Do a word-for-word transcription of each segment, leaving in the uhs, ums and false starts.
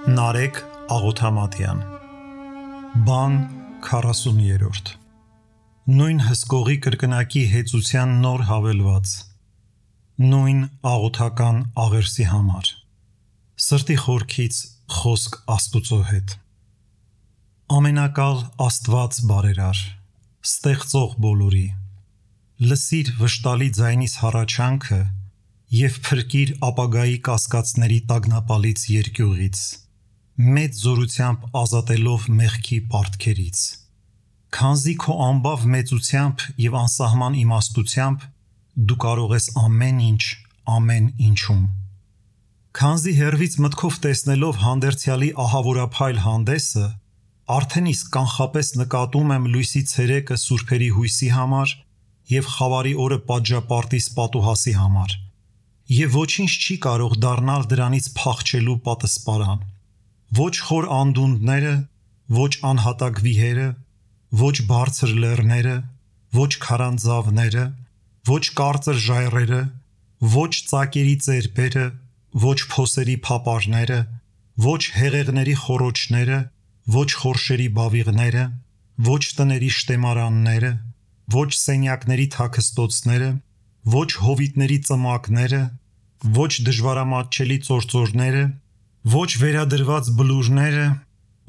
Նարեկ Աղոթամատյան Բան քառասուներորդ Նույն հսկողի կրկնակի հեծության նոր հավելված Նույն աղոթական աղերսի համար Սրտի խորքից խոսք Աստուծո հետ Ամենակալ Աստված բարերար Ստեղծող բոլորի Լսիր վշտալի ձայնիս հառաչանքը և փրկիր ապագայի կասկածների տագնապալից երկյուղից Մեծ զորությամբ ազատելով մեղքի պարտքերից Քանզի քո անբավ մեծությամբ և անսահման իմաստությամբ դու կարող ես ամեն ինչ, ամեն ինչում Քանզի հեռվից մտքով տեսնելով հանդերձյալի ահավորափայլ հանդեսը արդեն իսկ կանխապես նկատում եմ լույսի ցերեկը սուրբերի հույսի համար և խավարի օրը պատժապարտիս պատուհասի համար և ոչինչ չի կարող դառնալ դրանից փախչելու պատսպարան Ոչ խոր անդունդները, ոչ անհատակ վիհերը, ոչ բարձր լեռները, ոչ քարանձավները, ոչ կարծր ժայռերը, ոչ ծակերի ծերբերը, ոչ փոսերի փապարները, ոչ հեղեղների խոռոչները, ոչ խորշերի բավիղները, ոչ տների շտեմարանները, ոչ սենյակների թաքստոցները, ոչ հովիտների ծմակները, ոչ դժվարամատչելի ծործորները, ոչ վերադրված բլուրները,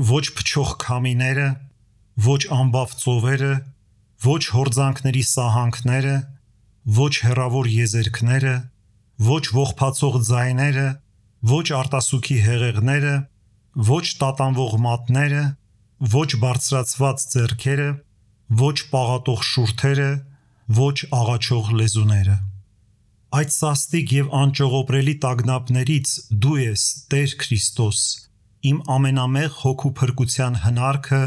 ոչ փչող քամիները, ոչ անբավ ծովերը, ոչ հորձանքների սահանքները, ոչ հեռավոր եզերքները, ոչ ողբացող ձայները, ոչ արտասուքի հեղեղները, ոչ տատանվող մատները, ոչ բարձրացված ձեռքերը, ոչ պաղատող շուրթերը, ոչ աղաչող լեզուները Այդ սաստիկ և անճողոպրելի տագնապներից դու ես, Տեր Քրիստոս, իմ ամենամեղ հոգու փրկության հնարքը,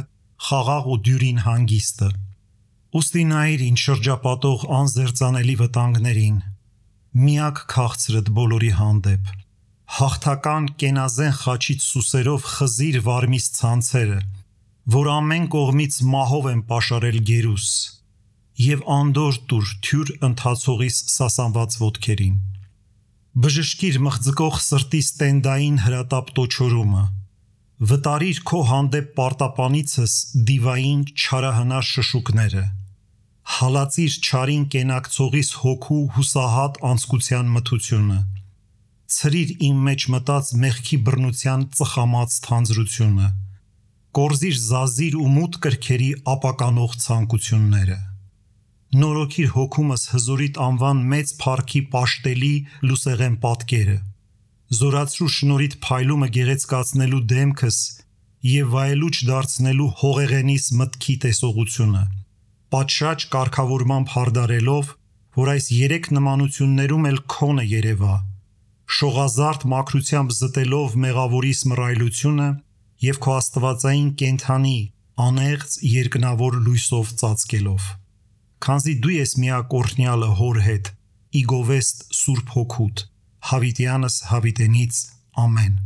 խաղաղ ու դյուրին հանգիստը Ուստի նայիր ինձ շրջապատող անզերծանելի վտանգներին Միակ քաղցրդ բոլորի հանդեպ Հաղթական կենազեն խաչից սուսերով խզիր վարմիս ցանցերը Որ ամեն կողմից մահով են պաշարել գերուս Եվ անդորր տուր թյուր ընթացողիս սասանված ոտքերին Բժշկիր մղձկող սրտիս տենդային հրատապ տոչորումը Վտարիր քո հանդեպ պարտապանիցս դիվային չարահնար շշուկները Հալածիր չարին կենակցողիս հոգու հուսահատ անձկության մթությունը Ցրիր իմ մեջ մտած մեղքի բռնության ծխամած թանձրությունը Կորզիր զազիր ու մութ կրքերի ապականող ցանկությունները Նորոգիր հոգումս հզորիտ անվան մեծ փառքի պաշտելի լուսեղեն պատկերը Զորացրու շնորհիդ փայլումը գեղեցկացնելու դեմքս և վայելուչ դարձնելու հողեղենիս մտքի տեսողությունը Պատշաճ կարգավորմամբ հարդարելով, որ այս երեք նմանություններում էլ քոնը երևա Շողազարդ մաքրությամբ զտելով մեղավորիս մռայլությունը և քո աստվածային կենդանի, անեղծ երկնավոր լույսով ծածկելով Քանզի դու ես միակ օրհնյալը Հոր հետ, ի գովեստ Սուրբ Հոգուդ, հավիտյանս հավիտենից, ամեն